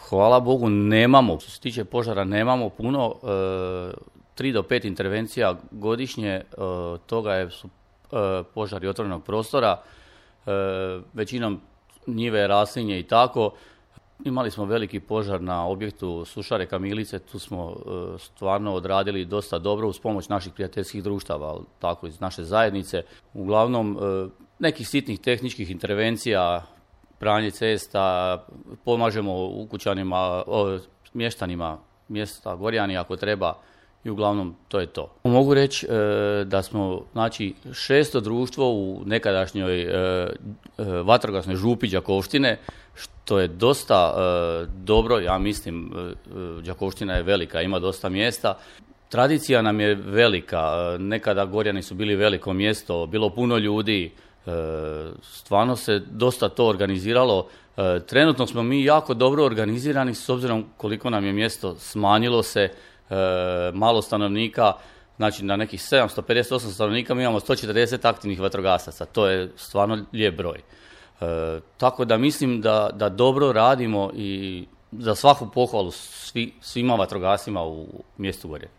Hvala Bogu nemamo, što se tiče požara nemamo puno, 3 do 5 intervencija godišnje, toga su požari otvorenog prostora, većinom njive, raslinje i tako. Imali smo veliki požar na objektu Sušare Kamilice, tu smo stvarno odradili dosta dobro uz pomoć naših prijateljskih društava, tako iz naše zajednice. Uglavnom, nekih sitnih tehničkih intervencija, pranje cesta, pomažemo ukućanima, mještanima mjesta Gorjani ako treba i uglavnom to je to. Mogu reći da smo znači 6. društvo u nekadašnjoj vatrogasnoj župi Đakovštine, što je dosta dobro, ja mislim, Đakovština je velika, ima dosta mjesta. Tradicija nam je velika, nekada Gorjani su bili veliko mjesto, bilo puno ljudi, stvarno se dosta to organiziralo. Trenutno smo mi jako dobro organizirani s obzirom koliko nam je mjesto smanjilo se, malo stanovnika, znači na nekih 758 stanovnika mi imamo 140 aktivnih vatrogasaca, to je stvarno lijep broj. Tako da mislim da dobro radimo i za svaku pohvalu svima vatrogasima u mjestu Gorje.